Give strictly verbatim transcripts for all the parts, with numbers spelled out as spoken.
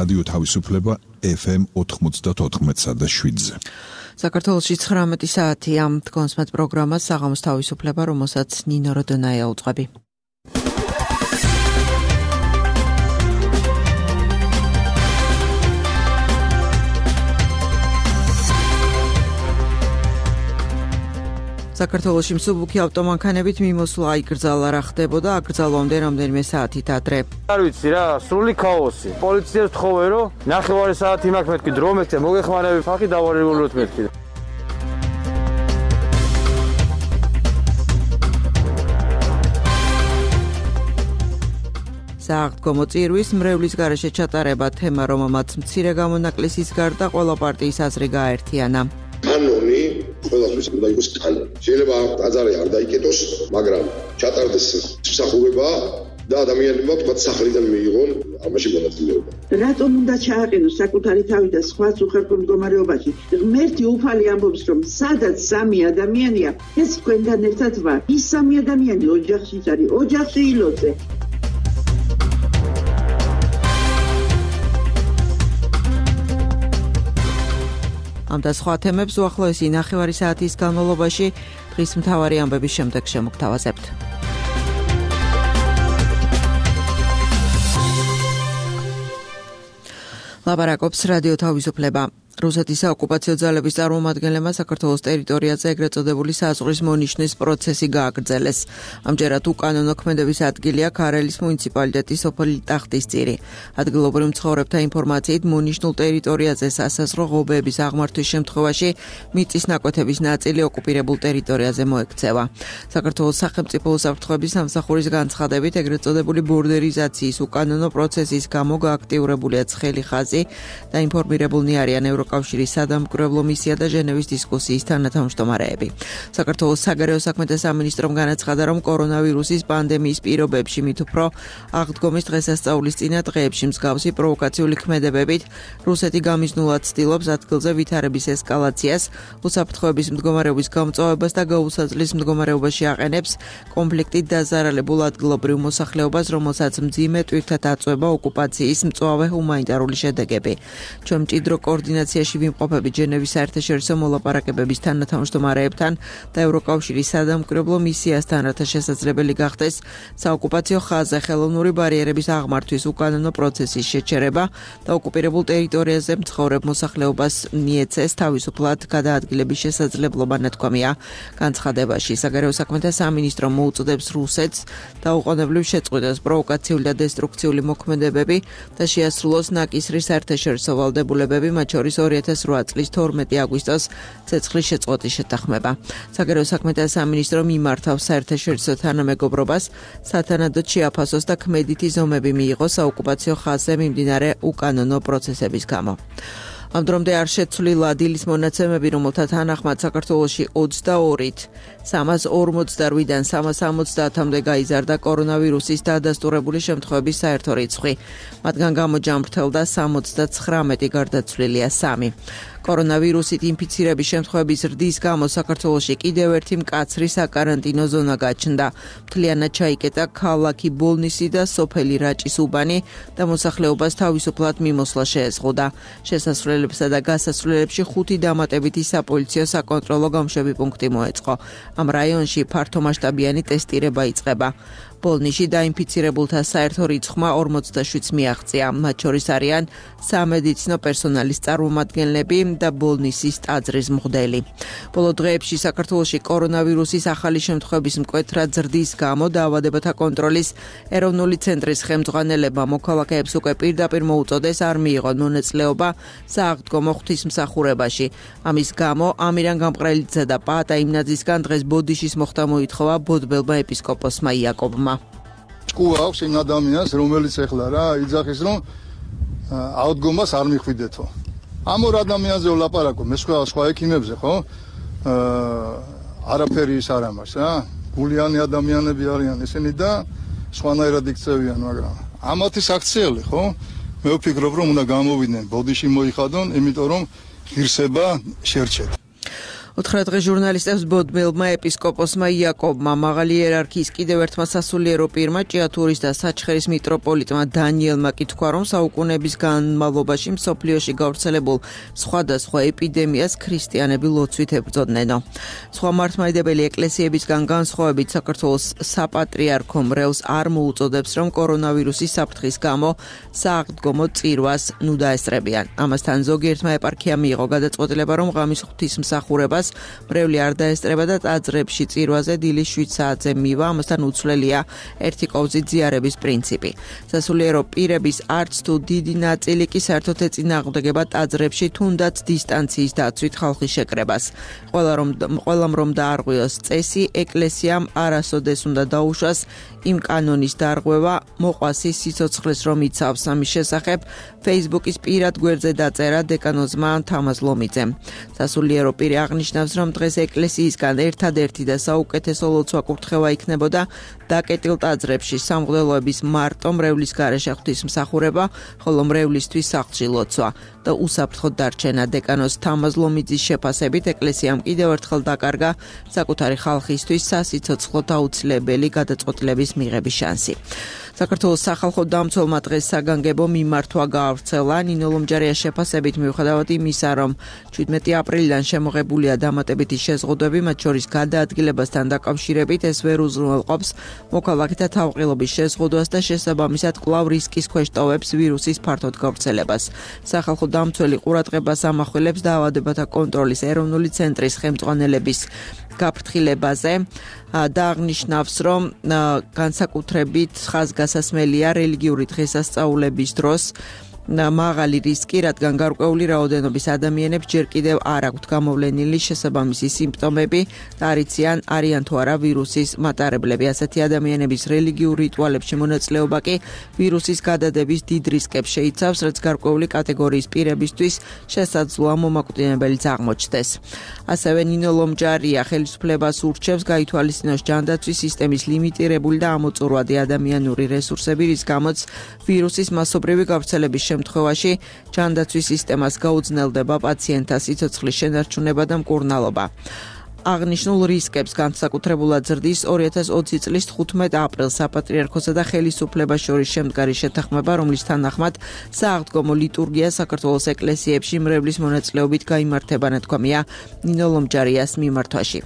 რადიო თავისუფლება ეფ ემ ოთხმოცდაოთხ და შვიდზე. საქართველოში ცხრამეტი საათია. კონსმეთ პროგრამას საღამოს თავისუფლება, რომელსაც ნინო როდონაია უძღვები. საქართველოში მსუბუქი ავტომანქანებით მიმოსვლა აიკრძალა, რა ხდებოდა აკრძალვამდე რამდენიმე საათით ადრე. არ ვიცი რა, სრული ქაოსი. პოლიციას ვთხოვე, რომ ნახევარი საათი მაქვს მეთქი დრო მეთქე, მოგეხმარები ფახი დავარეგულოთ მეთქი. სააღდგომო წირვის მრევლის გარეშე ჩატარება თემა, რომელმაც მცირე გამონაკლისის გარდა ყველა პარტიის აზრი გააერთიანა. კანონი ყველასთვის უნდა იყოს კანონი. შეიძლება აზარი არ დაიკეტოს, მაგრამ ჩატარდეს მსახურება და ადამიანებმა თქვა სახლიდან მიიღონ ამაში მონაწილეობა. რატომ უნდა ჩააყენოს საკუთარი თავი და სხვაც უხერხო მდგომარეობაში? ღმერთი უფალი ამბობს, რომ სადაც სამი ადამიანია, ეს თქვენთან ერთად ვარ. ის სამი ადამიანი ოჯახში არის, ოჯახში ილოცე. ამ და სხვა თემებს უახლოესი ნახევარი საათის განმავლობაში დღის მთავარი ამბების შემდეგ შემოგთავაზებთ. ლაპარაკობს რადიო თავისუფლება. რუსეთის საოკუპაციო ძალების წარმომადგენლებმა საქართველოს ტერიტორიაზე ეგრეთ წოდებული საზღვრის მონიშნის პროცესი გააგრძელეს. ამჯერად უკანონო ქმედების ადგილია ქარელის მუნიციპალიტეტის სოფელი ტახტისწირი. ადგილობრივ მცხოვრებთა ინფორმაციით მონიშნულ ტერიტორიაზე სასაზღვრო ღობეების აღმართვის შემთხვევაში მიწის ნაკვეთების ნაწილი ოკუპირებულ ტერიტორიაზე მოექცევა. საქართველოს სახელმწიფო უსაფრთხოების სამსახურის განცხადებით ეგრეთ წოდებული ბორდერიზაციის უკანონო პროცესის გამო გააქტიურებულია ცხელი ხაზი და ინფორმირებულნი არიან კავშირის სადამკვირვებლო მისია და ჟენევის დისკუსიის თანათავმჯდომარეები. საქართველოს საგარეო საქმეთა სამინისტრომ განაცხადა, რომ კორონავირუსის პანდემიის პირობებში მით უფრო აღდგომის დღესასწაულის წინა დღეებში მსგავსი პროვოკაციული ქმედებებით რუსეთი გამიზნულად ცდილობს ადგილზე ვითარების ესკალაციას, უსაფრთხოების მდგომარეობის გამწვავებას და გაუსაძლის მდგომარეობაში აყენებს კონფლიქტით დაზარალებულ ადგილობრივ მოსახლეობას, რომელსაც მძიმე ტვირთად აწვება ოკუპაციის მწვავე ჰუმანიტარული შედეგები. ჩვენ მჭიდრო კოორდინაციაში ვიმყოფებით ჟენევის საერთაშორისო მოლაპარაკებების თანათავმჯდომარეებთან და ევროკავშირის სადამკვირვებლო მისიასთან, რათა შესაძლებელი გახდეს საოკუპაციო ხაზზე ხელოვნური ბარიერების აღმართვის უკანონო პროცესის შეჩერება და ოკუპირებულ ტერიტორიაზე მცხოვრებ მოსახლეობას მიეცეს თავისუფლად გადაადგილების შესაძლებლობა, ნათქვამია განცხადებაში. საგარეო საქმეთა სამინისტრო მოუწოდებს რუსეთს დაუყოვნებლივ შეწყვიტოს პროვოკაციული და დესტრუქციული მოქმედებები და შეასრულოს ნაკისრის საერთაშორისო ვალდებულებები, მათ შორის ორი ათას რვა წლის თორმეტი აგვისტოს ცეცხლის შეწყვეტის შეთანხმება. საგარეო საქმეთა სამინისტრო მიმართავს საერთაშორისო თანამეგობრობას, სათანადოდ შეაფასოს და ქმედითი ზომები მიიღოს საოკუპაციო ხაზზე მიმდინარე უკანონო პროცესების გამო. ამ დრომდე არ შეცვლილა დილის მონაცემები, რომელთა თანახმად საქართველოში ოცდაორით სამას ორმოცდაოთხიდან სამას ორმოცდაათამდე გაიზარდა კორონავირუსის დადასტურებული შემთხვევების საერთო რიცხვი. მათგან გამოჯამრთელდა სამოცდაცხრამეტი, გარდაცვლილია სამი. კორონავირუსით ინფიცირების შემთხვევების ზრდის გამო საქართველოში კიდევ ერთი მკაცრი საკარანტინო ზონა გაჩნდა. მთლიანად ჩაიკეტა ქალაქი ბოლნისი და სოფელი რაჭის უბანი და მოსახლეობას თავისუფლად მიმოსვლა შეეზღუდა. შესასვლელებსა და გასასვლელებში ხუთი დამატებითი sapolitsio საკონტროლო გამშვები პუნქტი მოეწყო. ამ რაიონში ფართომასშტაბიანი ტესტირება იწყება. ბოლნისში დაინფიცირებულთა საერთო რიცხვმა ორმოცდაშვიდს მიაღწია. მათ შორის არიან სამედიცინო პერსონალის წარმომადგენლები და ბოლნისის ტაძრის მღვდელი. ბოლო დღეებში საქართველოში კორონავირუსის ახალი შემთხვევების მკვეთრად ზრდის გამო დაავადებათა კონტროლის ეროვნული ცენტრის ხელმძღვანელებმა მოქალაქეებს უკვე პირდაპირ მოუწოდეს არ მიიღონ მონაწილეობა სააღდგომო ღვთისმსახურებაში. ამის გამო ამირან გამყრელიძე და პაატა იმნაძისგან დღეს ბოდიშის მოხდა მოითხოვა ბოდბელმა ეპისკოპოსმა იაკობმა. ჭკუა აქვს იმ ადამიანს, რომელიც ეხლა რა იძახის, რომ აღდგომას არ მიხვიდეთო. ამ ორ ადამიანზე ვლაპარაკო, მე სხვა სხვა ექიმებზე, ხო? აა არაფერი ის არ ამას, რა. გულიანი ადამიანები არიან ესენი და სხვანაირად იქცევიან, მაგრამ ამათი საქციელი, ხო? მე ვფიქრობ, რომ უნდა გამოვიდნენ, ბოდიში მოიხადონ, იმიტომ რომ ღირსება შერჩეთ. ოთხ დღე ჟურნალისტებს ბოდმელმა ეპისკოპოსმა იაკობმა მაღალი იერარქიის კიდევ ერთმა სასულიერო პირმა ჭიათურის და საჩხერის მიტროპოლიტმა დანიელმა კი თქვა, რომ საუკუნეების განმავლობაში მსოფლიოში გავრცელებულ სხვადასხვა ეპიდემიას ქრისტიანები ლოცვით ებრძოდნენო. სხვა მართლმადიდებელი ეკლესიებისგან განსხვავებით საქართველოს საპატრიარქო მრევლს არ მოუწოდებს, რომ კორონავირუსის საფრთხის გამო სააღდგომო წირვას ნუ დაესწრებიან. ამასთან ზოგიერთმა ეპარქიამ მიიღო გადაწყვეტილება, რომ ღამის ღვთისმსახურებას მრევლი არ დაესწრება და ტაძრებში წირვაზე დილის შვიდ საათზე მივა, ამასთან უცვლელია ერთი კოვზით ზიარების პრინციპი. სასულიერო პირების არც თუ დიდი ნაწილი კი საერთოდ ეწინააღმდეგება ტაძრებში თუნდაც დისტანციის დაცვით ხალხის შეკრებას. ყველა რომ ყველამ რომ დაარღვიოს წესი, ეკლესიამ არასოდეს უნდა დაუშვას იმ კანონის დარღვევა, მოყვასი სიცოცხლეს რომ იცავს. ამის შესახებ Facebook-ის პირად გვერდზე დაწერა დეკანოზმა თამაზ ლომიძემ. სასულიერო პირი აღნიშნავს, რომ დღეს ეკლესიისგან ერთადერთი და საუკეთესო ლოცვა კურთხევა იქნებოდა დაკეტილ ტაძრებში სამღვდელოების მარტო მრევლის გარეშე ღვთისმსახურება, ხოლო მრევლისთვის სახლში ლოცვა და უსაფრთხოდ დარჩენა. დეკანოზ თამაზ ლომიძის შეფასებით ეკლესიამ კიდევ ერთხელ დაკარგა საკუთარი ხალხისთვის სასიცოცხლოდ აუცილებელი გადაწყვეტილების მიღების შანსი. საქართველოს სახალხო დამცველმა დღეს საგანგებო მიმართვა გაავრცელა. ნინო ლომჯარიას შეფასებით, მიუხედავად იმისა, რომ შვიდმეტი აპრილიდან შემოღებულია დამატებითი შეზღუდვები, მათ შორის გადაადგილებასთან დაკავშირებით, ეს ვერ უზრუნველყოფს მოქალაქეთა თავყილობის შეზღუდვას და შესაბამისად კვლავ რისკის ქვეშ ტოვებს ვირუსის ფართოდ გავრცელებას. სახალხო დამცველი ყურადღებას ამახვილებს დაავადებათა კონტროლის ეროვნული ცენტრის ხელმძღვანელების გაფრთხილებაზე და აღნიშნავს, რომ განსაკუთრებით ხაზგასასმელია რელიგიური დღესასწაულების დროს მაღალი რისკი, რადგან გარკვეული რაოდენობის ადამიანებს ჯერ კიდევ არ აქვთ გამოვლენილი შესაბამისი სიმპტომები და არიციან არიან თუ არა ვირუსის მატარებლები. ასეთი ადამიანების რელიგიურ რიტუალებში მონაწილეობა კი ვირუსის გადადების დიდ რისკებს შეიცავს, რაც გარკვეული კატეგორიის პირებისთვის შესაძლოა მომაკვდინებელიც აღმოჩნდეს. ასევე ნინო ლომჯარია ხელისუფლებას ურჩევს გაითვალისწინოს ჯანდაცვის სისტემის ლიმიტირებული და ამოწურვადი ადამიანური რესურსები, რის გამოც ვირუსის მასობრივი გავრცელების შემთხვევაში ჯანდაცვის სისტემას გაუძნელდება პაციენტთა სიცოცხლის შენარჩუნება და მკურნალობა. აღნიშნულ რისკებს განსაკუთრებულად ზრდის ორი ათას ოცი წლის თხუთმეტ აპრილს საპატრიარქოსა და ხელისუფლებას შორის შემდგარი შეთანხმება, რომლის თანახმად სააღდგომო ლიტურგია საქართველოს ეკლესიებში მრევლის მონაწილეობით გაიმართება, ნათქვამია ნინო ლომჯარიას მიმართვაში.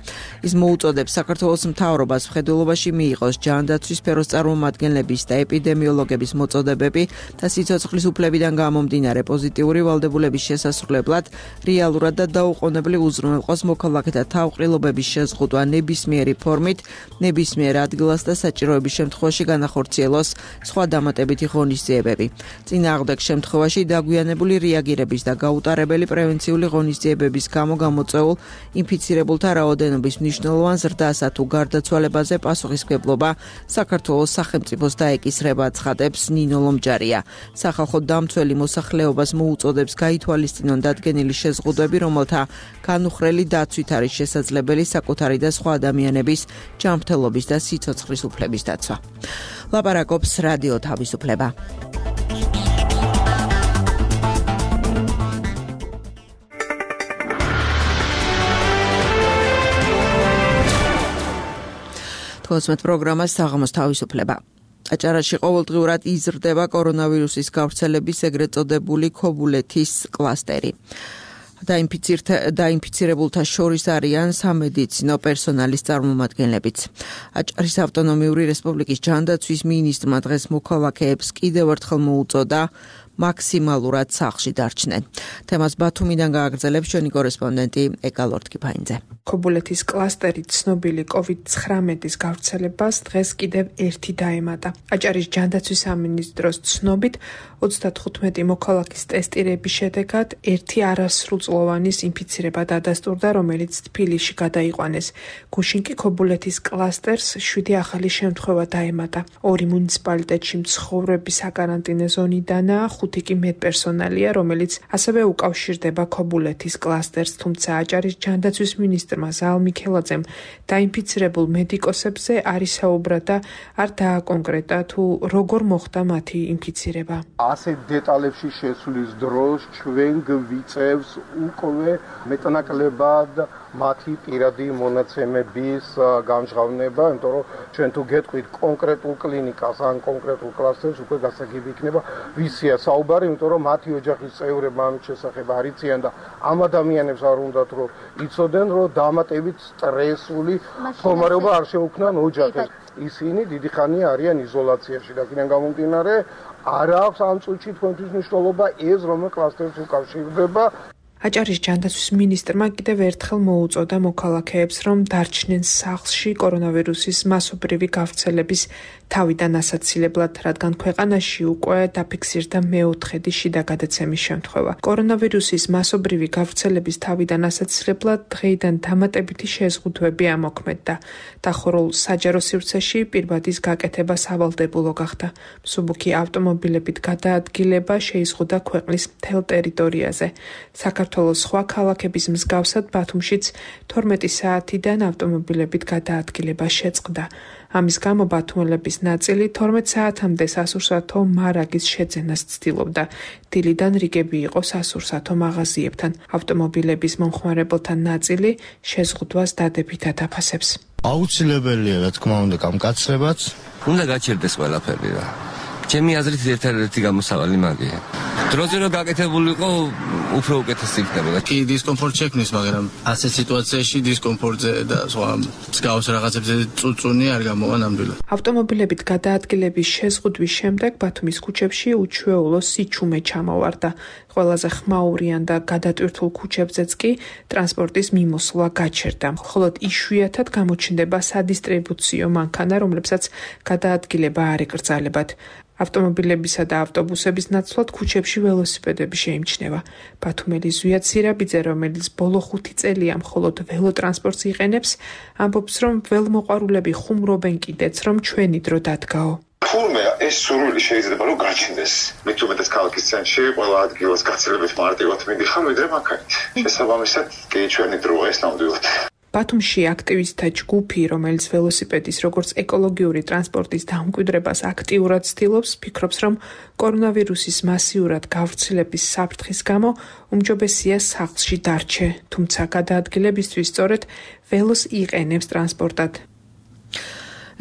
ის მოუწოდებს საქართველოს მთავრობას მხედველობაში მიიღოს ჯანდაცვის სფეროს წარმომადგენლების და ეპიდემიოლოგების მოწოდებები და სიცოცხლის უფლებიდან გამომდინარე პოზიტიური ვალდებულების შესასრულებლად რეალურად და დაუყოვნებლივ უზრუნველყოს მოქალაქეთა თავყრილ ობის შეზღუდვა ნებისმიერი ფორმით, ნებისმიერ ადგილას და საჭიროების შემთხვევაში განახორციელოს სხვა დამატებითი ღონისძიებები. წინააღმდეგ შემთხვევაში დაგვიანებული რეაგირების და გაუტარებელი პრევენციული ღონისძიებების გამო გამოწვეულ ინფიცირებულთა რაოდენობის მნიშვნელოვან ზრდასა თუ გარდაცვალებაზე პასუხისმგებლობა საქართველოს სახელმწიფოს დაეკისრება, ცხადებს ნინო ლომჯარია. სახალხო დამცველი მოსახლეობას მოუწოდებს გაითვალისწინონ დადგენილი შეზღუდვები, რომელთა განუხრელი დაცვით არის შესაძლებელი საკუთარი და სხვა ადამიანების ჯანმრთელობის და სიცოცხლის უფლების დაცვა. ლაპარაკობს რადიო თავისუფლება. თვალსმეთ პროგრამას საღამოს თავისუფლება. აჭარაში ყოველდღიურად იზრდება კორონავირუსის გავრცელების ეგრეთ წოდებული ქობულეთის კლასტერი. დაინფიცირებულთა შორის არიან სამედიცინო პერსონალის წარმომადგენლებიც. აჭარის ავტონომიური რესპუბლიკის ჯანდაცვის მინისტრმა დღეს მოქალაქეებს კიდევ ერთხელ მოუწოდა მაქსიმალურად სახლში დარჩნენ. თემას ბათუმიდან გააგრძელებს ჩვენი კორესპონდენტი ეკა ლორთქიფაინძე. ქობულეთის კლასტერი ცნობილი კოვიდ ცხრამეტის გავრცელებას დღეს კიდევ ერთი დაემატა. აჭარის ჯანდაცვის სამინისტროს ცნობით ოცდათხუთმეტი მოქალაქის ტესტირების შედეგად ერთი არასრულწლოვანის ინფიცირება დადასტურდა, რომელიც თბილისში გადაიყვანეს. გუშინ კი ქობულეთის კლასტერს შვიდი ახალი შემთხვევა დაემატა. ორი მუნიციპალიტეტში მცხოვრები საკარანტინე ზონიდანაა, ხუთი კი მედპერსონალია, რომელიც ასევე უკავშირდება ქობულეთის კლასტერს, თუმცა აჭარის ჯანდაცვის მინისტრმა ზალ მიქელაძემ დაინფიცირებულ მედიკოსებზე არ ისაუბრა და არ დააკონკრეტა თუ როგორ მოხდა მათი ინფიცირება. ასეთ დეტალებში შესვლის დროს ჩვენ გვიწევს უკვე მეტნაკლებად მათი პირადი მონაცემების გამჟღავნება, იმიტომ რომ ჩვენ თუ გეტყვით კონკრეტულ კლინიკას ან კონკრეტულ კლასტერს, უკვე გასაგები იქნება ვისია საუბარი, იმიტომ რომ მათი ოჯახის წევრებმა ამის შესახებ არ იციან და ამ ადამიანებს არ უნდათ რომ იცოდნენ, რომ დამატებით სტრესული მდგომარეობა არ შეუქმნან ოჯახებს. ისინი დიდი ხანია არიან იზოლაციაში და იქიდან გამომდინარე არ აქვს ამ წუთში თქვენთვის მნიშვნელობა ეს რომელ კლასტერს უკავშირდება. აჭარის ჯანდაცვის მინისტრმა კიდევ ერთხელ მოუწოდა მოქალაქეებს, რომ დარჩნენ სახლში კორონავირუსის მასობრივი გავრცელების თავიდან ასაცილებლად, რადგან ქვეყანაში უკვე დაფიქსირდა მეოთხედი შიდა გადაცემის შემთხვევა. კორონავირუსის მასობრივი გავრცელების თავიდან ასაცილებლად დღეიდან დამატებითი შეზღუდვები ამოქმედდა. დახურულ საჯარო სივრცეში პირბადის გაკეთება სავალდებულო გახდა. მსუბუქი ავტომობილებით გადაადგილება შეიზღუდა ქვეყნის მთელ ტერიტორიაზე. საქართველოს სხვა ქალაქების მსგავსად ბათუმშიც თორმეტი საათიდან ავტომობილებით გადაადგილება შეწყდა. ამის გამო ბათუმელების ნაწილი თორმეტ საათამდე სასურსათო მარაგის შეძენას ცდილობდა. დილიდან რიგები იყო სასურსათო მაღაზიებთან. ავტომობილების მომხმარებელთა ნაწილი შეზღუდვას დადებითად აფასებს. აუცილებელია, რა თქმა უნდა, გამკაცრებაც. უნდა გაჩერდეს ყველაფერი რა. ჩემი აზრით ერთადერთი გამოსავალი მაგია. დროზე რომ გაკეთებულიყო, უფრო უკეთესი იქნებოდა. კი დისკომფორტ შექმნის, მაგრამ ასე სიტუაციაში დისკომფორტზე და სხვა მსგავს რაღაცებზე წუწუნი არ გამოვა ნამდვილად. ავტომობილებით გადაადგილების შეზღუდვის შემდეგ ბათუმის ქუჩებში უჩვეულო სიჩუმე ჩამოვარდა. ყველაზე ხმაურიან და გადატვირთულ ქუჩებზეც კი ტრანსპორტის მიმოსვლა გაჩერდა. მხოლოდ იშვიათად გამოჩნდება სადისტრიბუციო მანქანა, რომლებსაც გადაადგილება არ ეკრძალებათ. ავტომობილებისა და ავტობუსების ნაცვლად ქუჩებში ველოსიპედები შეიმჩნევა. ბათუმელი ზვია ცირაბიძე, რომელიც ბოლო ხუთი წელია მხოლოდ ველოტრანსპორტს იყენებს, ამბობს, რომ ველმოყვარულები ხუმრობენ კიდეც, რომ ჩვენი დრო დადგაო. თურმე ეს სურვილი შეიძლება რომ გაჩნდეს. მით უმეტეს ქალაქის ცენტრში ყველა ადგილას გაცილებით მარტივად მიდიხარ, ვიდრე მანქანით. შესაბამისად, კი ჩვენი დროა ეს ნამდვილად. ბათუმში აქტივისტთა ჯგუფი, რომელიც ველოსიპედის როგორც ეკოლოგიური ტრანსპორტის დამკვიდრებას აქტიურად ცდილობს, ფიქრობს, რომ კორონავირუსის მასიურად გავრცელების საფრთხის გამო უმჯობესია სახლში დარჩე, თუმცა გადაადგილებისთვის სწორედ ველოს იყენებს ტრანსპორტად.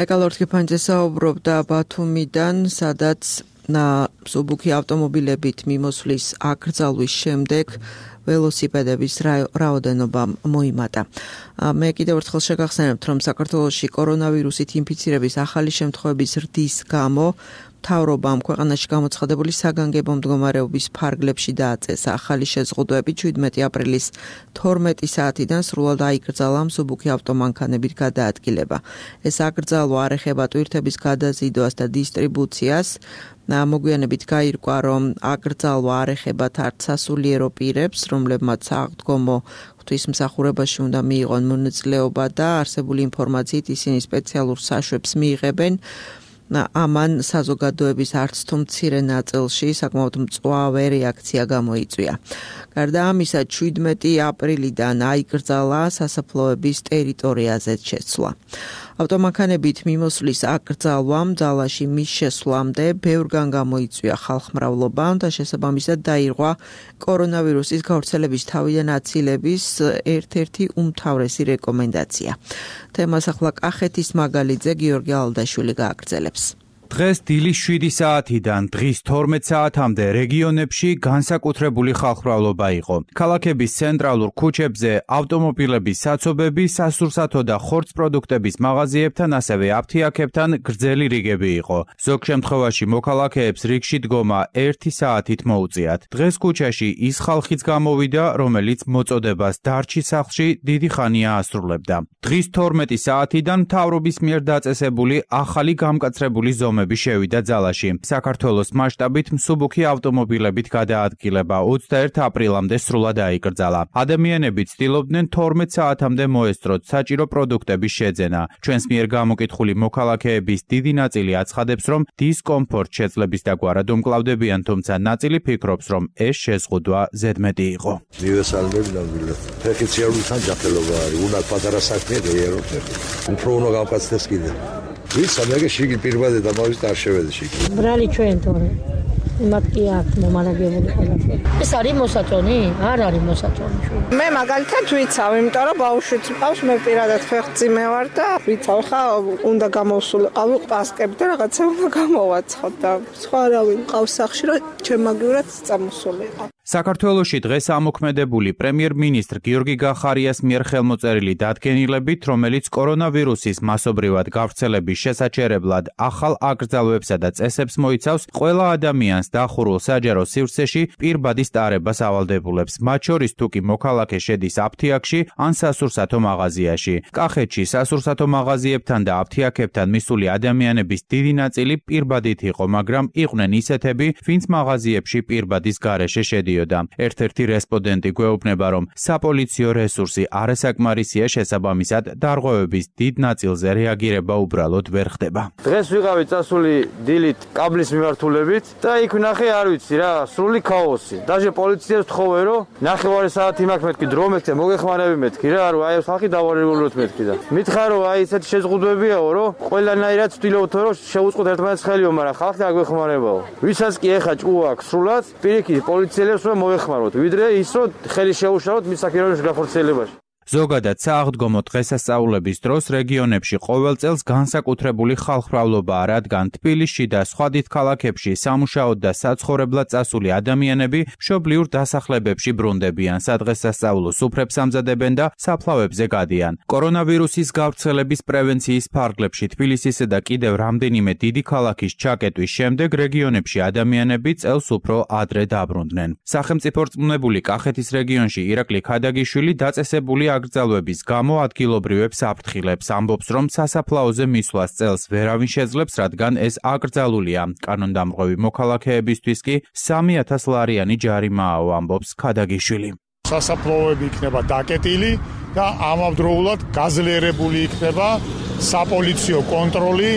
ეკალორთი ფანჯე საუბრობდა ბათუმიდან, სადაც მსუბუქი ავტომობილებით მიმოსვლის აკრძალვის შემდეგ ველოსიპედების რაოდენობა მოიმატა. მე კიდევ ერთხელ შეგახსენებთ, რომ საქართველოში კორონავირუსით ინფიცირების ახალი შემთხვევების ზრდის გამო მთავრობამ ქვეყანაში გამოცხადებული საგანგებო მდგომარეობის ფარგლებში დააწესა ახალი შეზღუდვები ჩვიდმეტი აპრილის თორმეტი საათიდან სრულად აიკრძალა მსუბუქი ავტომანქანებით გადაადგილება. ეს აკრძალვა არ ეხება ტვირთების გადაზიდვას და დისტრიბუციას. მოგვიანებით გაირკვა, რომ აკრძალვა არ ეხებათ არც სასულიერო პირებს, რომლებმაც სააღდგომო ღვთისმსახურებაში უნდა მიიღონ მონაწილეობა და არსებული ინფორმაციით ისინი სპეციალურ საშვებს მიიღებენ. ამან საზოგადოების არც თუ მცირე ნაწილში საკმაოდ მწვავე რეაქცია გამოიწვია. გარდა ამისა, ჩვიდმეტი აპრილიდან აიკრძალა სასაფლაოების ტერიტორიაზეც შეცვლა. ავტომანქანებით მიმოსვლის აკრძალვამ ძალაში მის შესვლამდე ბევრგან გამოიწვია ხალხმრავლობა და შესაბამისად დაირღვა კორონავირუსის გავრცელების თავიდან აცილების ერთ-ერთი უმთავრესი რეკომენდაცია. თემას ახლა კახეთის მაგალითზე გიორგი ალდაშვილი გააგრძელებს. დღეს დილის შვიდი საათიდან დღის თორმეტ საათამდე რეგიონებში განსაკუთრებული ხალხმრავლობა იყო. ქალაქების ცენტრალურ ქუჩებზე ავტომობილების საცობები, სასურსათო და ხორცპროდუქტების მაღაზიებთან, ასევე აფთიაქებთან გრძელი რიგები იყო. ზოგ შემთხვევაში მოქალაქეებს რიგში დგომა ერთი საათით მოუწიათ. დღეს ქუჩაში ის ხალხიც გამოვიდა, რომელიც მოწოდებას დარჩი სახლში დიდი ხანია ასრულებდა. დღის თორმეტი საათიდან მთავრობის მიერ დაწესებული ახალი გამკაცრებული ზომები შევიდა ძალაში. საქართველოს მასშტაბით მსუბუქი ავტომობილებით გადაადგილება ოცდაერთ აპრილამდე სრულად აიკრძალა. ადამიანები ცდილობდნენ თორმეტ საათამდე მოესწროთ საჭირო პროდუქტების შეძენა. ჩვენს მიერ გამოკითხული მოქალაქეების დიდი ნაწილი აცხადებს, რომ დისკომფორტ შეძლების დაგვარად უმკლავდებიან, თუმცა ნაწილი ფიქრობს, რომ ეს შეზღუდვა ზედმეტი იყო. მივესალმები ნამდვილად. ფეხიციარულთან ჯანმრთელობა არის, უნდა პატარა საქმეა გაიაროთ. უფრო უნდა გავკაცდეს კიდე. ვის ამერიკაში იგი პირბადე და მოვიდა არ შევედი შეკი. ბრალი ჩვენ თორე. იმათ კი აქვს მომარაგებული ყველაფერი. ეს არის მოსაწონი? არ არის მოსაწონი. მე მაგალითად ვიცავ, იმიტომ რომ ბავშვიც მყავს, მე პირადად ფეხმძიმე ვარ და ვიცავ, ხა უნდა გამოვსულიყავი პასკები და რაღაცა უნდა გამოვაცხოთ და სხვა არავინ მყავს სახში, რომ ჩემაგივრად წამოსულიყავ. საქართველოში დღეს ამოქმედებული პრემიერ-მინისტრ გიორგი გახარიას მიერ ხელმოწერილი დადგენილებით, რომელიც კორონავირუსის მასობრივად გავრცელების შესაჩერებლად ახალ აკრძალვებსა და წესებს მოიცავს, ყველა ადამიანს დახურულ საჯარო სივრცეში პირბადის ტარებას ავალდებულებს, მათ შორის თუ კი მოქალაქე შედის აფთიაქში ან სასურსათო მაღაზიაში. კახეთში სასურსათო მაღაზიებთან და აფთიაქებთან მისული ადამიანების დიდი ნაწილი პირბადით იყო, მაგრამ იყვნენ ისეთები, ვინც მაღაზიებში პირბადის გარეშე შედიოდა. ერთ-ერთი რესპონდენტი გვეუბნება, რომ საპოლიციო რესურსი არასაკმარისია, შესაბამისად დარღვევების დიდ ნაწილზე რეაგირება უბრალოდ ვერ ხდება. დღეს ვიყავი წასული დილით კაბლის მიმართულებით და იქ ვნახე, არ ვიცი რა, სრული ქაოსი. დაჟე პოლიციას ვთხოვე, რომ ნახევარი საათი მაქვს მეთქი დრო მეთქე, მოგეხმარები მეთქი რა, რომ აი ხალხი დავარეგულოთ მეთქი და მითხრა, რომ აი ესეთი შეზღუდვებიაო, რომ ყველანაირად ვთვლითო, რომ შევუწყოთ ერთმანეთს ხელიო, მაგრამ ხალხი აგვეხმარებაო. ვისაც კი ეხა ჭუა აქვს სრულად, პირიქით პოლიციელებს რომ მოეხმაროთ, ვიდრე ის რომ ხელი შეუშალოთ მის საკირონის გახორციელებაში. ზოგადად სააღდგომო დღესასწაულების დროს რეგიონებში ყოველ წელს განსაკუთრებული ხალხმრავლობაა, რადგან თბილისში და სხვა დიდ ქალაქებში სამუშაოდ და საცხოვრებლად წასული ადამიანები მშობლიურ დასახლებებში ბრუნდებიან, სადღესასწაულო სუფრებს ამზადებენ და საფლავებზე გადიან. კორონავირუსის გავრცელების პრევენციის ფარგლებში თბილისისა და კიდევ რამდენიმე დიდი ქალაქის ჩაკეტვის შემდეგ რეგიონებში ადამიანები წელს უფრო ადრე დაბრუნდნენ. სახელმწიფო რწმუნებული კახეთის რეგიონში ირაკლი ქადაგიშვილი დაწესებული აკრძალვების გამო ადგილობრივებს აფრთხილებს, ამბობს, რომ სასაფლაოზე მისვლას წელს ვერავინ შეძლებს, რადგან ეს აკრძალულია. კანონდამრღვევი მოქალაქეებისთვის კი სამი ათას ლარიანი ჯარიმააო, ამბობს ქადაგიშვილი. სასაფლაოები იქნება დაკეტილი და ამავდროულად გაძლიერებული იქნება საპოლიციო კონტროლი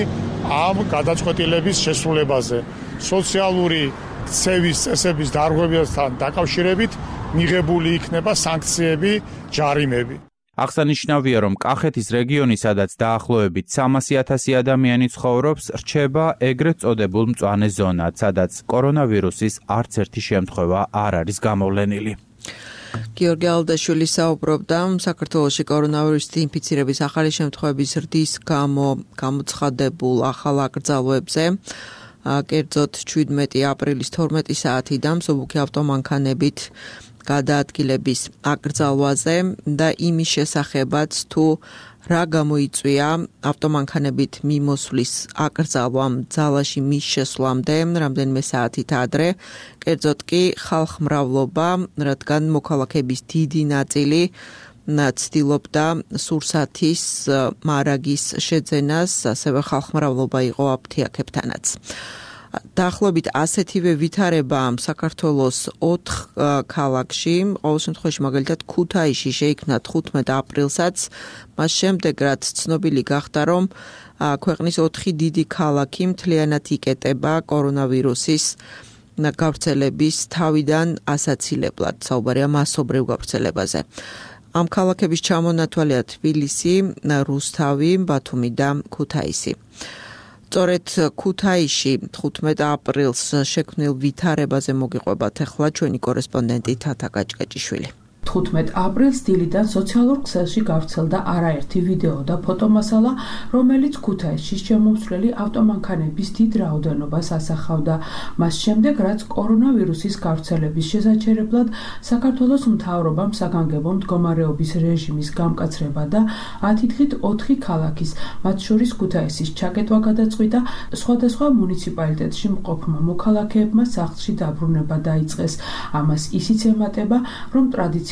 ამ გადაწყვეტილების შესრულებაზე. სოციალური ცევის წესების დარღვევასთან დაკავშირებით მიღებული იქნება სანქციები, ჯარიმები. აღსანიშნავია, რომ კახეთის რეგიონი, სადაც დაახლოებით სამასი ათასი ადამიანი ცხოვრობს, რჩება ეგრეთ წოდებულ მწვანე ზონად, სადაც კორონავირუსის არც ერთი შემთხვევა არ არის გამოვლენილი. გიორგი ალდაშვილი საუბრობდა საქართველოში კორონავირუსით ინფიცირების ახალი შემთხვევების ზრდის გამო გამოცხადებულ ახალ აკრძალვებზე. კერძოდ ჩვიდმეტი აპრილის თორმეტი საათიდან მსუბუქი ავტომანქანებით გადაადგილების აკრძალვაზე და იმის შესახებაც თუ რა გამოიწვია ავტომანქანებით მიმოსვლის აკრძალვამ ძალაში მის შესვლამდე რამდენიმე საათით ადრე, კერძოდ კი ხალხმრავლობა, რადგან მოქალაქეების დიდი ნაწილი ცდილობდა სურსათის მარაგის შეძენას, ასევე ხალხმრავლობა იყო აფთიაქებთანაც. დაახლოებით ასეთივე ვითარება საქართველოს ოთხ ქალაქში, ყოველ შემთხვევაში მაგალითად ქუთაისში შეიქმნა თხუთმეტ აპრილსაც, მას შემდეგ რაც ცნობილი გახდა, რომ ქვეყნის ოთხი დიდი ქალაქი მთლიანად იკეტება კორონავირუსის გავრცელების თავიდან ასაცილებლად, საუბარია მასობრივ გავრცელებაზე. ამ ქალაქების ჩამონათვალია თბილისი, რუსთავი, ბათუმი და ქუთაისი. სწორედ ქუთაისში თხუთმეტ აპრილს შექმნილ ვითარებაზე მოგიყვებათ ახლა ჩვენი კორესპონდენტი თათა გაჭკაჭიშვილი. თხუთმეტ აპრილს დილიდან სოციალურ ქსელში გავრცელდა არაერთი ვიდეო და ფოტომასალა, რომელიც ქუთაისში შემომსვლელი ავტომანქანების დიდ რაოდენობას ასახავდა. მას შემდეგ, რაც კორონავირუსის გავრცელების შესაჩერებლად საქართველოს მთავრობამ საგანგებო მდგომარეობის რეჟიმის გამკაცრება და ათი დღით ოთხი ქალაქის, მათ შორის ქუთაისის ჩაკეტვა გადაწყვიტა, სხვადასხვა მუნიციპალიტეტში მყოფმა მოქალაქეებმა სახლში დაბრუნება დაიწყეს. ამას ისიც ემატება, რომ ტრადიციულად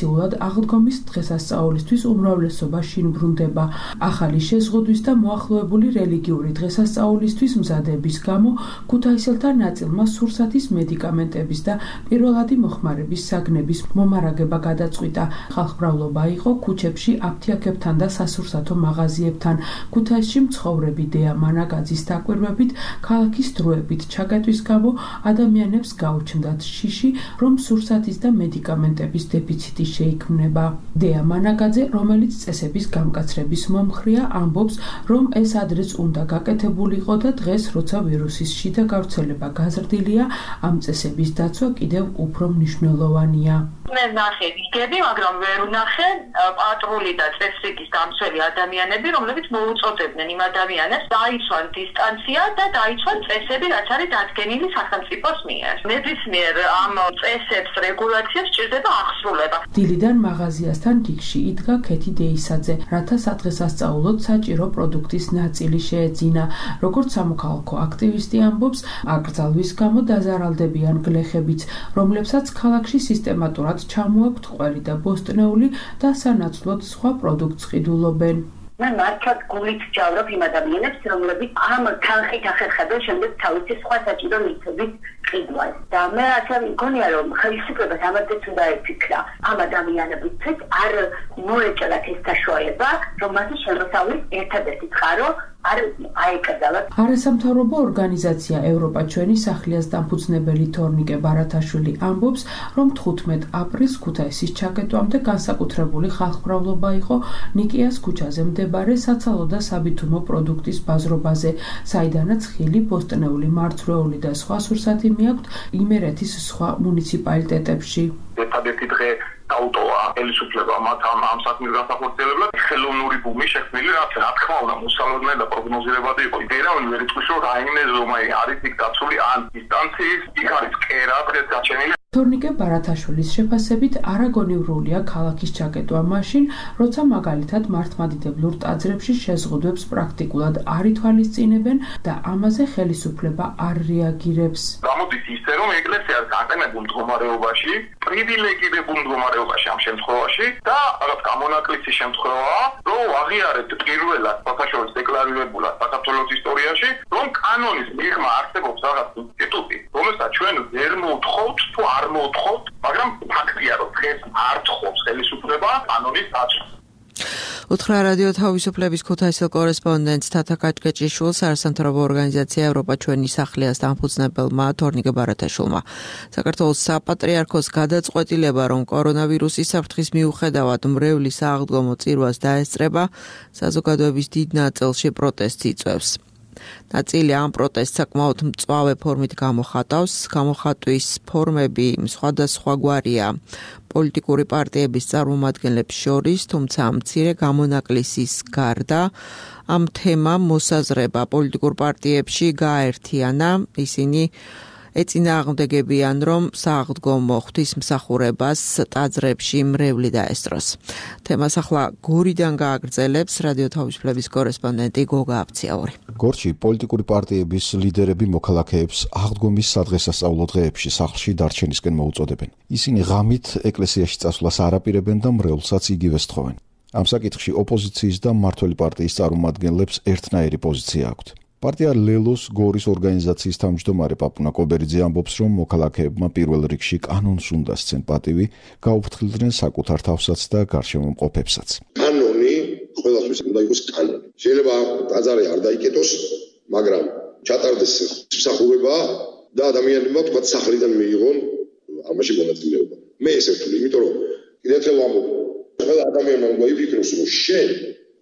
აღდგომის დღესასწაულისთვის უმრავლესობა შინ ბრუნდება. ახალი შეზღუდვის და მოახლოებული რელიგიური დღესასწაულისთვის მზადების გამო ქუთაისელთა ნაწილმა სურსათის მედიკამენტების და პირველადი მოხმარების საგნების მომარაგება გადაწყვიტა. ხალხმრავლობა იყო ქუჩებში აფთიაქებთან და სასურსათო მაღაზიებთან. ქუთაისში მცხოვრები დეა მანაგაძის დაკვირვებით, ქალაქის დროებით ჩაკეტვის გამო ადამიანებს გაუჩნდათ შიში, რომ სურსათის და მედიკამენტების დეფიციტი შეიქმნება. დეა მანაგაძე, რომელიც წესების გამკაცრების მომხრეა, ამბობს, რომ ეს ადრეც უნდა გაკეთებულიყო და დღეს, როცა ვირუსის შიდა გავრცელება გაზრდილია, ამ წესების დაცვა კიდევ უფრო მნიშვნელოვანია. მე ნახე ვიგები, მაგრამ ვერ ვნახე პატრული და წესრიგის დამცველი ადამიანები, რომლებიც მოუწოდებდნენ იმ ადამიანებს დაიცვან დისტანცია და დაიცვან წესები, რაც არის დადგენილი სახელმწიფოს მიერ. ნებისმიერ ამ წესებს, რეგულაციებს სჭირდება აღსრულება. დილიდან მაღაზიასთან რიგში იდგა ქეთი დეისაძე, რათა სადღესასწაულოდ საჭირო პროდუქტის ნაწილი შეეძინა. როგორც სამოქალაქო აქტივისტი ამბობს, აკრძალვის გამო დაზარალდებიან გლეხებიც, რომლებსაც ქალაქში სისტემატურად ჩამოაქვთ ყველი და ბოსტნეული და სანაცვლოდ სხვა პროდუქტს ყიდულობენ. მე მართლაც გულით ვჯავრობ იმ ადამიანებს, რომლებიც ამ თანხით ახერხებენ შემდეგ თავისი სხვა საჭირო ნივთების ყიდვას. და მე ასე მგონია, რომ ხელისუფლებას ამათაც უნდა ეფიქრა ამ ადამიანებისთვის არ მოეჭრათ ეს საშუალება, რომ მათი შემოსავლის ერთადერთი წყარო არ აეკრძალათ. არასამთავრობო ორგანიზაცია ევროპა ჩვენი სახლიას დამფუძნებელი თორნიკე ბარათაშვილი ამბობს, რომ თხუთმეტ აპრილს ქუთაისის ჩაკეტვამდე განსაკუთრებული ხალხმრავლობა იყო ნიკიას ქუჩაზე მდებარე საცალო და საბითუმო პროდუქტის ბაზრობაზე, საიდანაც ხილი, ბოსტნეული, მარცვლეული და სხვა სურსათი მიაქვთ იმერეთის სხვა მუნიციპალიტეტებში. ერთადერთი დღე დაუტოვა ხელისუფლებამ ამ ამ საქმის განსახორციელებლად ხელოვნური ბუმი შექმნილი, რაც რა თქმა უნდა მოსალოდნელი და პროგნოზირებადი იყო. ვერავინ ვერ იტყვის, რომ რაიმე ზომი არის იქ დაცული ან დისტანციის, იქ არის კერა დღეს გაჩენილი. თორნიკე ბარათაშვილის შეფასებით არაგონივრულია ქალაქის ჩაკეტვა მაშინ, როცა მაგალითად მართლმადიდებლურ ტაძრებში შეზღუდვებს პრაქტიკულად არ ითვალისწინებენ და ამაზე ხელისუფლება არ რეაგირებს. გამოდის ისე, რომ ეკლესიას გაყენებულ მდგომარეობაში, პრივილეგირებულ მდგომარეობაში ამ შემთხვევაში და რაღაც გამონაკლისის შემთხვევაა, რომ აღიარეთ პირველად საქართველოს დეკლარირებულად საქართველოს ისტორიაში, რომ კანონის მიღმა არსებობს რაღაც ინსტიტუტი, რომელსაც ჩვენ ვერ მოვთხოვთ თუ არ მოვთხოვთ, მაგრამ ფაქტია, რომ დღეს არ თხოვს ხელისუფლება კანონის დაცვას. უთხრა რადიო თავისუფლების ქუთაისელ კორესპონდენტს თათა კაჭკეჭიშვილს არასამთავრობო ორგანიზაცია ევროპა ჩვენი სახლიას დამფუძნებელმა თორნიკე ბარათაშვილმა. საქართველოს საპატრიარქოს გადაწყვეტილება, რომ კორონავირუსის საფრთხის მიუხედავად მრევლის აღდგომო წირვას დაესწრება, საზოგადოების დიდ ნაწილში პროტესტს იწვევს. ნაწილი ამ პროტესტს საკმაოდ მწვავე ფორმით გამოხატავს. გამოხატვის ფორმები სხვადასხვაგვარია პოლიტიკური პარტიების წარმომადგენლებს შორის, თუმცა მცირე გამონაკლისის გარდა ამ თემამ მოსაზრება პოლიტიკურ პარტიებში გააერთიანა. ისინი ეწინააღმდეგებიან, რომ სააღდგომო ღვთისმსახურებას ტაძრებში მრევლი დაესწროს. თემას ახლა გორიდან გააგრძელებს რადიო თავისუფლების კორესპონდენტი გოგა აბციაური. გორში პოლიტიკური პარტიების ლიდერები მოქალაქეებს აღდგომის სადღესასწაულო დღეებში სახლში დარჩენისკენ მოუწოდებენ. ისინი ღამით ეკლესიაში წასვლას არ აპირებენ და მრევლსაც იგივე სთხოვენ. ამ საკითხში ოპოზიციის და მმართველი პარტიის წარმომადგენლებს ერთნაირი პოზიცია აქვთ. პარტია ლელოს გორის ორგანიზაციის თავმჯდომარე პაპუნა კობერიძე ამბობს, რომ მოქალაქეებმა პირველ რიგში კანონს უნდა სცენ პატივი, გაუფრთხილდნენ საკუთარ თავსაც და გარშემომყოფებსაც. კანონი ყველასთვის უნდა იყოს კანონი. შეიძლება ტაძარი არ დაიკეტოს, მაგრამ ჩატარდეს მსახურება და ადამიანებმა თქვა სახლიდან მიიღონ ამაში მონაწილეობა. მე ესე ვთვლი, იმიტომ რომ კიდევ ერთხელ ვამბობ, ყველა ადამიანმა უნდა იფიქროს, რომ შენ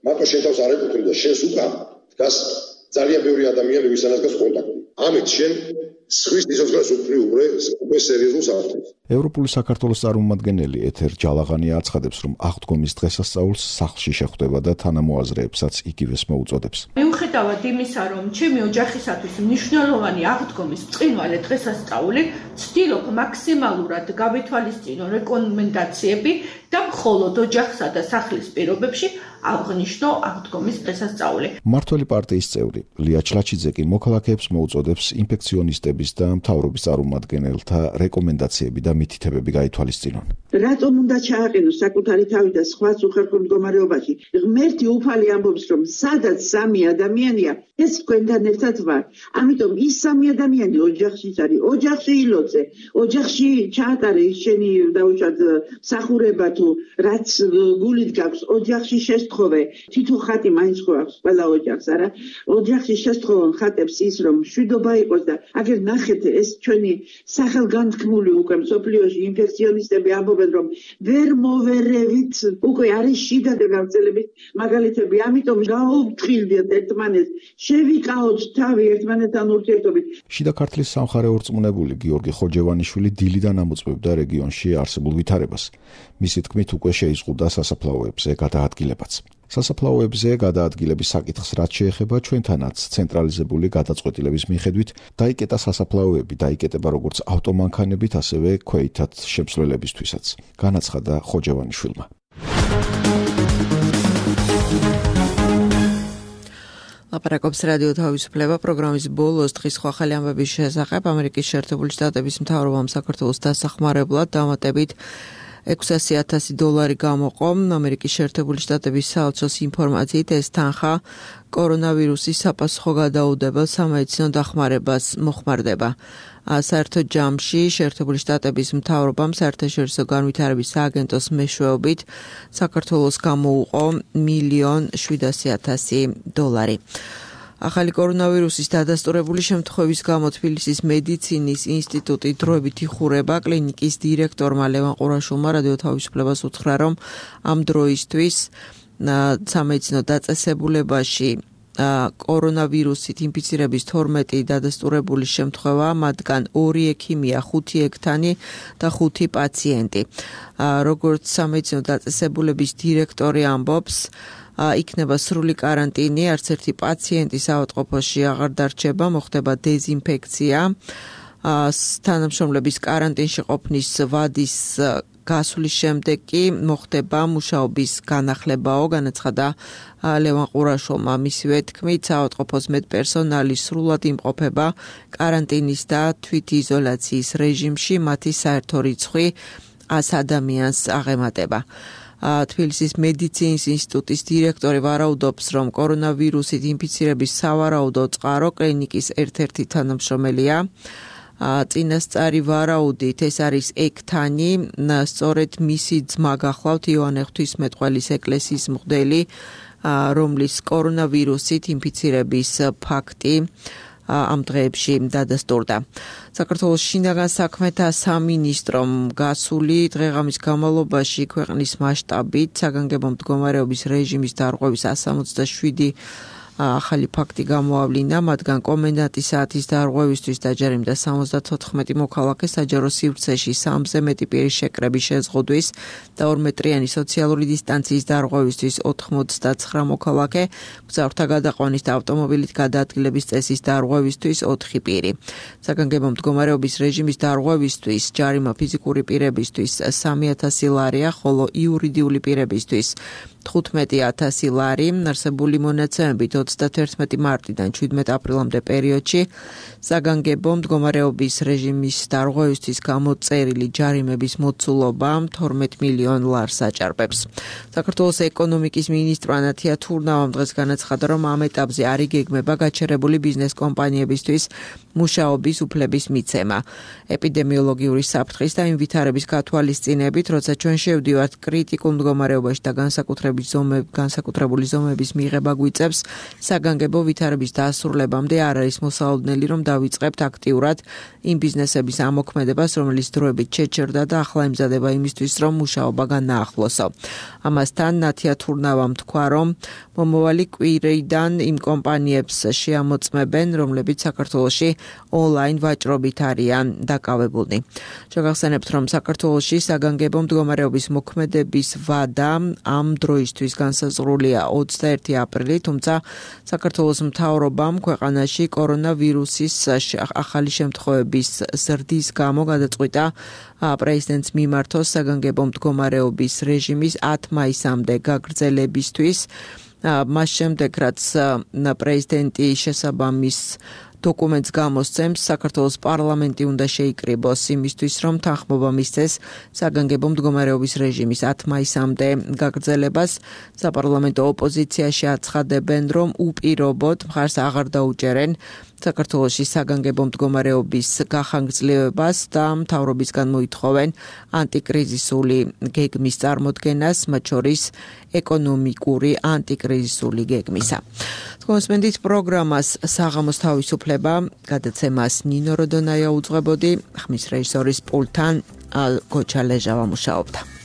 მარტო შენ თავს არ ეკუთვნი და შენს უკან დგას ძალიან ბევრი ადამიანი, ვისთანაც გას კონტაქტი. ამით შენ სხვის სიცოცხლეს უქმნი უკვე უკვე სერიოზულ საფრთხეს. ევროპული საქართველოს წარმომადგენელი ეთერ ჯალაღანი აცხადებს, რომ აღდგომის დღესასწაულს სახლში შეხვდება და თანამოაზრეებსაც იგივეს მოუწოდებს. მიუხედავად იმისა, რომ ჩემი ოჯახისათვის მნიშვნელოვანი აღდგომის ბრწყინვალე დღესასწაული, ვცდილობ მაქსიმალურად გავითვალისწინო რეკომენდაციები და მხოლოდ ოჯახსა და სახლის პირობებში აღნიშნო აღდგომის დღესასწაული. მმართველი პარტიის წევრი ლია ჩლაჩიძე კი მოქალაქეებს მოუწოდებს ინფექციონისტების და მთავრობის წარმომადგენელთა რეკომენდაციები და მითითებები გაითვალისწინონ. რატომ უნდა ჩააყენოს საკუთარი თავი და სხვაც უხერხო მდგომარეობაში? ღმერთი უფალი ამბობს, რომ სადაც სამი ადამიანია, ეს თქვენთან ერთად ვარ. ამიტომ ის სამი ადამიანი ოჯახში არის, ოჯახში ილოცე, ოჯახში ჩაატარე შენი დაუშვათ მსახურება თუ რაც გულით გაქვს, ოჯახში შესთხოვე, თითო ხატი მაინც ხო აქვს ყველა ოჯახს, არა? ოჯახში შესთხოვონ ხატებს ის, რომ მშვიდობა იყოს და აგერ ნახეთ ეს ჩვენი სახელგანთქმული უკვე მსოფლიოში ინფექციონისტები ამბობენ რომ ვერ მოვერევით უკვე არის შიდა გაგრძელებით მაგალითები ამიტომ გაუფრთხილდეთ ერთმანეთს შევიკაოთ თავი ერთმანეთთან ურთიერთობით შიდა ქართლის სამხარეო რწმუნებული გიორგი ხოჯევანიშვილი დილიდან ამოწმებდა რეგიონში არსებულ ვითარებას მისი თქმით უკვე შეიზღუდა სასაფლაოებზე გადაადგილებაც სასაფლაოებზე გადაადგილების საკითხს რაც შეეხება ჩვენთანაც ცენტრალიზებული გადაწყვეტილების მიხედვით დაიკეტა სასაფლაოები დაიკეტება როგორც ავტომანქანებით ასევე ქვეითად შემსვლელებისთვისაც განაცხადა ხოჯევანიშვილმა ლაპარაკობს რადიო თავისუფლება პროგრამის ბოლოს დღის ხალხი ამბების შესახებ ამერიკის შეერთებული შტატების მთავრობამ საქართველოს დასახმარებლად დამატებით ექვსასი ათასი დოლარი გამოყო ამერიკის შეერთებული შტატების საელჩოს ინფორმაციით ეს თანხა კორონავირუსის საპასუხო გადაუდებელ სამედიცინო დახმარებას მოხმარდება საერთო ჯამში შეერთებული შტატების მთავრობამ საერთაშორისო განვითარების სააგენტოს მეშვეობით საქართველოს გამოუყო მილიონ შვიდასი ათასი დოლარი ახალი კორონავირუსის დადასტურებული შემთხვევის გამო თბილისის მედიცინის ინსტიტუტი დროებით იხურება კლინიკის დირექტორმა ლევან ყურაშვილმა რადიო თავისუფლებას უთხრა რომ ამ დროისთვის სამედიცინო დაწესებულებაში კორონავირუსით ინფიცირების თორმეტი დადასტურებული შემთხვევა მათგან ორი ექიმია ხუთი ექთანი და ხუთი პაციენტი როგორც სამედიცინო დაწესებულების დირექტორი ამბობს იქნება სრული კარანტინი, არც ერთი პაციენტი საავადმყოფოში აღარ დარჩება, მოხდება დეზინფექცია, თანამშრომლების კარანტინში ყოფნის ვადის გასვლის შემდეგ კი მოხდება მუშაობის განახლებაო, განაცხადა ლევან ყურაშვილმა. მისივე თქმით, საავადმყოფოს მედპერსონალი სრულად იმყოფება კარანტინის და თვითიზოლაციის რეჟიმში, მათი საერთო რიცხვი ას ადამიანს აღემატება. თბილისის მედიცინის ინსტიტუტის დირექტორი ვარაუდობს, რომ კორონავირუსით ინფიცირების სავარაუდო წყარო კლინიკის ერთ-ერთი თანამშრომელია. წინასწარი ვარაუდით ეს არის ექთანი, სწორედ მისი ძმა გახლავთ იოანე ღვთისმეტყველის ეკლესიის მღვდელი, რომლის კორონავირუსით ინფიცირების ფაქტი ამ დღეებში დადასტურდა. საქართველოს შინაგან საქმეთა სამინისტრომ გასული დღეღამის განმავლობაში ქვეყნის მასშტაბით საგანგებო მდგომარეობის რეჟიმის დარღვევის ას სამოცდაშვიდი ახალი ფაქტი გამოავლინა, მათგან კომენდანტის საათის დარღვევისთვის დაჯერიმდა სამოცდათოთხმეტი მოქალაქე, საჯარო სივრცეში სამზე მეტი პირის შეკრების შეზღუდვის და ორმეტრიანი სოციალური დისტანციის დარღვევისთვის ოთხმოცდაცხრა მოქალაქე, მგზავრთა გადაყვანის და ავტომობილით გადაადგილების წესის დარღვევისთვის ოთხი პირი. საგანგებო მდგომარეობის რეჟიმის დარღვევისთვის ჯარიმა ფიზიკური პირებისთვის სამი ათასი ლარია, ხოლო იურიდიული პირებისთვის თხუთმეტი ათასი ლარი, არსებული მონაცემებით ოცდათერთმეტი მარტიდან შვიდმეტი აპრილამდე პერიოდში საგანგებო მდგომარეობის რეჟიმის დარღვევისთვის გამოწერილი ჯარიმების მოცულობა თორმეტ მილიონ ლარს აჭარბებს. საქართველოს ეკონომიკის მინისტრმა ანათია თურნავამ დღეს განაცხადა, რომ ამ ეტაპზე არ იგეგმება გაჩერებული ბიზნეს კომპანიებისთვის მუშაობის უფლების მიცემა. ეპიდემიოლოგიური საფრთხის და იმ ვითარების გათვალისწინებით, როცა ჩვენ შევდივართ კრიტიკულ მდგომარეობაში და განსაკუთრებით განსაკუთრებული ზომების მიღება გვიწევს, საგანგებო ვითარების დასრულებამდე არ არის მოსალოდნელი, რომ დავიწყებთ აქტიურად იმ ბიზნესების ამოქმედებას, რომელიც დროებით შეჩერდა და ახლა ემზადება იმისთვის, რომ მუშაობა განაახლოსო. ამასთან ნათია თურნავამ თქვა, რომ მომავალი კვირიდან იმ კომპანიებს შეამოწმებენ, რომლებიც საქართველოში ონლაინ ვაჭრობით არიან დაკავებულნი. შეგახსენებთ, რომ საქართველოში საგანგებო მდგომარეობის მოქმედების ვადა ამ დროისთვის განსაზღვრულია ოცდაერთი აპრილი, თუმცა საქართველოს მთავრობამ ქვეყანაში კორონავირუსის ახალი შემთხვევების ზრდის გამო გადაწყვიტა პრეზიდენტს მიმართოს საგანგებო მდგომარეობის რეჟიმის ათ მაისამდე გაგრძელებისთვის. მას შემდეგ, რაც პრეზიდენტი შესაბამის დოკუმენტს გამოსცემს, საქართველოს პარლამენტი უნდა შეიკრიბოს იმისთვის, რომ თანხმობა მისცეს საგანგებო მდგომარეობის რეჟიმის ათ მაისამდე გაგრძელებას. საპარლამენტო ოპოზიციაში აცხადებენ, რომ უპირობოდ მხარს აღარ დაუჭერენ საქართველოში საგანგებო მდგომარეობის გახანგრძლივებას და მთავრობისგან მოითხოვენ ანტიკრიზისული გეგმის წარმოდგენას, მათ შორის ეკონომიკური ანტიკრიზისული გეგმისა. კონსმენდით პროგრამას საღამოს თავისუფლება გადაცემას ნინო როდონაია უძღვებოდი, ხმის რეჟისორის პულტთან ალ გოჩალეჟავა მუშაობდა.